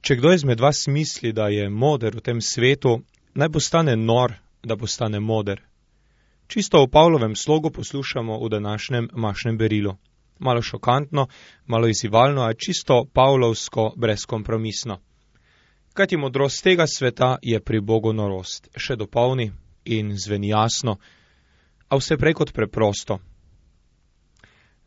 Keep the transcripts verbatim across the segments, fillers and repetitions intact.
Če kdo izmed vas misli, da je moder v tem svetu, naj postane nor, da postane moder. Čisto v Pavlovem slogu poslušamo v današnjem mašnem berilu. Malo šokantno, malo izzivalno, a čisto pavlovsko brezkompromisno. Kajti modrost tega sveta je pri Bogu norost, še dopolni in zveni jasno, a vse prej kot preprosto.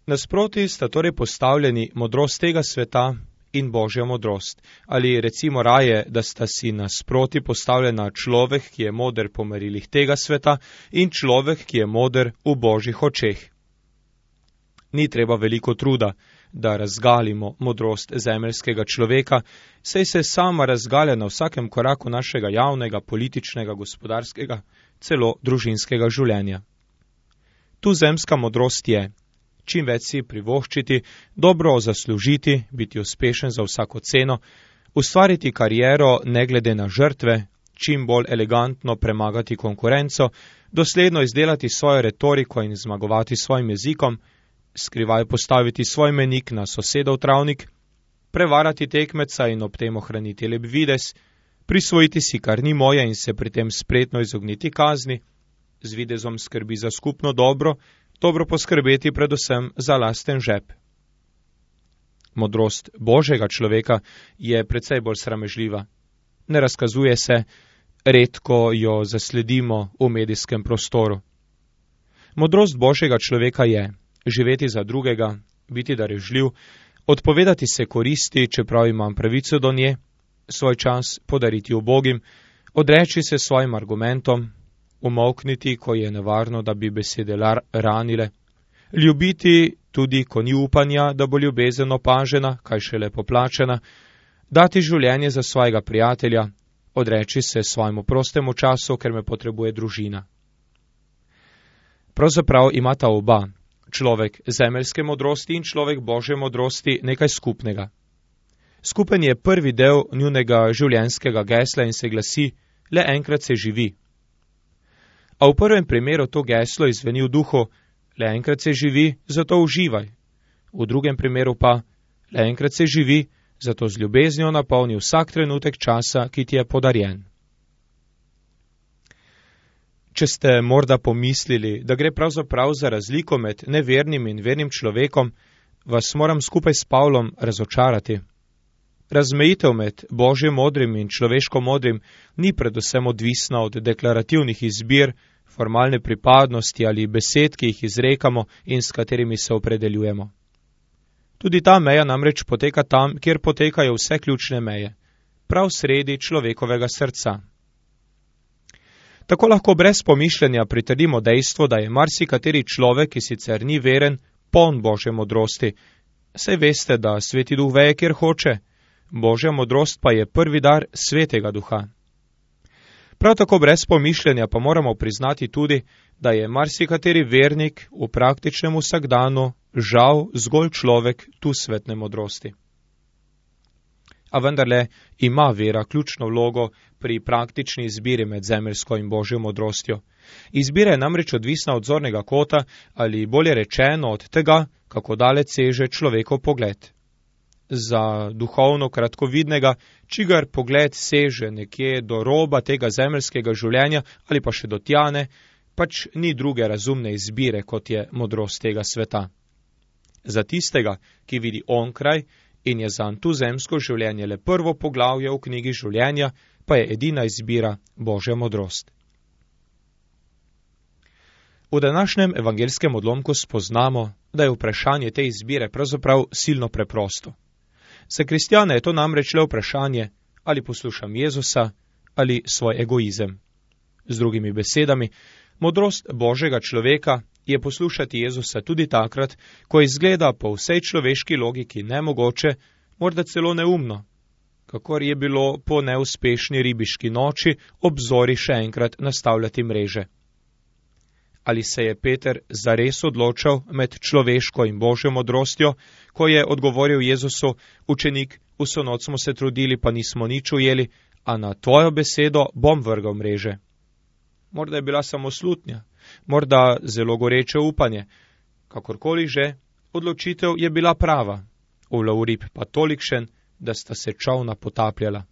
Nasproti sta torej postavljeni modrost tega sveta in Božja modrost, ali recimo raje, da sta si nasproti postavljena človek, ki je moder po merilih tega sveta, in človek, ki je moder v Božjih očeh. Ni treba veliko truda, da razgalimo modrost zemeljskega človeka, saj se sama razgalja na vsakem koraku našega javnega, političnega, gospodarskega, celo družinskega življenja. Tu zemska modrost je čim več si privoščiti, dobro zaslužiti, biti uspešen za vsako ceno, ustvariti kariero ne glede na žrtve, čim bolj elegantno premagati konkurenco, dosledno izdelati svojo retoriko in zmagovati svojim jezikom, skrivaj postaviti svoj menik na sosedov travnik, prevarati tekmeca in ob tem ohraniti lep videz, prisvojiti si, kar ni moje in se pri tem spretno izogniti kazni, z videzom skrbi za skupno dobro, dobro poskrbeti predvsem za lasten žep. Modrost Božjega človeka je precej bolj sramežljiva. Ne razkazuje se, redko jo zasledimo v medijskem prostoru. Modrost Božjega človeka je živeti za drugega, biti darežljiv, odpovedati se koristi, čeprav imam pravico do nje, svoj čas podariti ubogim, odreči se svojim argumentom, umolkniti, ko je nevarno, da bi besede ranile, ljubiti tudi, ko ni upanja, da bo ljubezen opažena, kaj šele poplačena, dati življenje za svojega prijatelja, odreči se svojemu prostemu času, ker me potrebuje družina. Pravzaprav imata oba, človek zemeljske modrosti in človek Božje modrosti, nekaj skupnega. Skupen je prvi del njunega življenjskega gesla in se glasi: le enkrat se živi. A v prvem primeru to geslo izveni v duhu: le enkrat se živi, zato uživaj. V drugem primeru pa: le enkrat se živi, zato z ljubeznijo napolni vsak trenutek časa, ki ti je podarjen. Če ste morda pomislili, da gre pravzaprav za razliko med nevernim in vernim človekom, vas moram skupaj s Pavlom razočarati. Razmejitev med Božjim modrim in človeško modrim ni predvsem odvisna od deklarativnih izbir, formalne pripadnosti ali besed, ki jih izrekamo in s katerimi se opredeljujemo. Tudi ta meja namreč poteka tam, kjer potekajo vse ključne meje, prav sredi človekovega srca. Tako lahko brez pomišljanja pritrdimo dejstvo, da je marsikateri človek, ki sicer ni veren, poln Božje modrosti. Saj veste, da Sveti Duh veje, kjer hoče, Božja modrost pa je prvi dar Svetega Duha. Prav tako brez pomišljanja pa moramo priznati tudi, da je marsikateri vernik v praktičnem vsakdanu žal zgolj človek tu svetne modrosti. A vendarle ima vera ključno vlogo pri praktični izbiri med zemeljsko in Božjo modrostjo. Izbira je namreč odvisna od zornega kota ali bolje rečeno od tega, kako daleč seže človekov pogled. Za duhovno kratkovidnega, čigar pogled seže nekje do roba tega zemeljskega življenja ali pa še do tjane, pač ni druge razumne izbire, kot je modrost tega sveta. Za tistega, ki vidi onkraj in je zanj tu zemsko življenje le prvo poglavje v knjigi življenja, pa je edina izbira Božja modrost. V današnjem evangelskem odlomku spoznamo, da je vprašanje te izbire pravzaprav silno preprosto. Za kristjane je to namreč le vprašanje, ali poslušam Jezusa ali svoj egoizem. Z drugimi besedami, modrost Božjega človeka je poslušati Jezusa tudi takrat, ko izgleda po vsej človeški logiki nemogoče, morda celo neumno, kakor je bilo po neuspešni ribiški noči ob zori še enkrat nastavljati mreže. Ali se je Peter zares odločal med človeško in Božjo modrostjo, ko je odgovoril Jezusu: učenik, vso noč smo se trudili, pa nismo nič ujeli, a na tvojo besedo bom vrgal mreže. Morda je bila samo slutnja, morda zelo goreče upanje. Kakorkoli že, odločitev je bila prava, ulov rib pa tolikšen, da sta se čolna potapljala.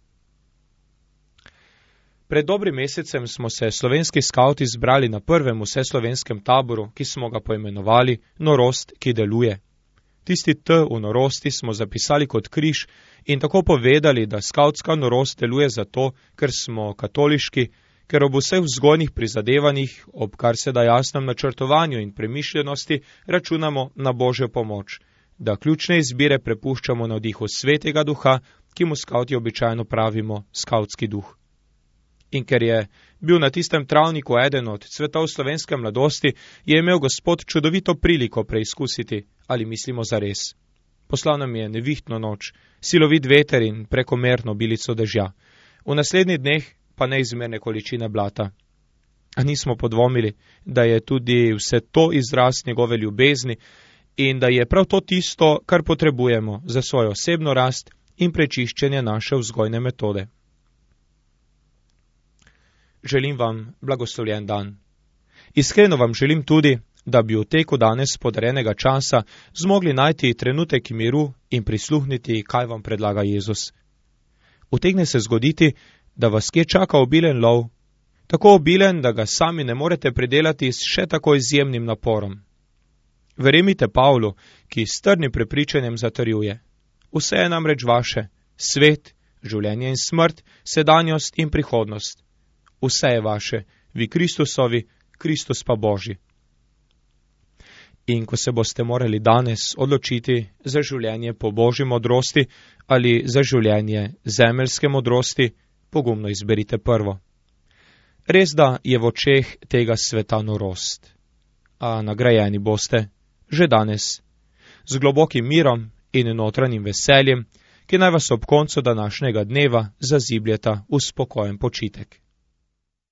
Pred dobrim mesecem smo se slovenski skavti zbrali na prvem vseslovenskem taboru, ki smo ga poimenovali Norost, ki deluje. Tisti T v norosti smo zapisali kot križ in tako povedali, da skavtska norost deluje zato, ker smo katoliški, ker ob vseh vzgojnih prizadevanjih, ob kar se da jasnem načrtovanju in premišljenosti, računamo na Božjo pomoč, da ključne izbire prepuščamo na vdihu svetega duha, ki mu skavti običajno pravimo skavtski duh. In ker je bil na tistem travniku eden od cvetov slovenske mladosti, je imel Gospod čudovito priliko preizkusiti, ali mislimo zares. Poslal nam je nevihtno noč, silovit veter in prekomerno bilico dežja. V naslednjih dneh pa neizmerne količine blata. A nismo podvomili, da je tudi vse to izraz njegove ljubezni in da je prav to tisto, kar potrebujemo za svojo osebno rast in prečiščenje naše vzgojne metode. Želim vam blagoslovljen dan. Iskreno vam želim tudi, da bi v teku danes podarjenega časa zmogli najti trenutek miru in prisluhniti, kaj vam predlaga Jezus. Utegne se zgoditi, da vas kje čaka obilen lov, tako obilen, da ga sami ne morete pridelati s še tako izjemnim naporom. Verjemite Pavlu, ki s trdnim prepričanjem zatrjuje: vse je namreč vaše, svet, življenje in smrt, sedanjost in prihodnost. Vse je vaše, vi Kristusovi, Kristus pa Božji. In ko se boste morali danes odločiti za življenje po Božji modrosti ali za življenje zemeljske modrosti, pogumno izberite prvo. Res da je v očeh tega sveta norost, a nagrajeni boste že danes z globokim mirom in notranjim veseljem, ki naj vas ob koncu današnjega dneva zazibljeta v spokojen počitek.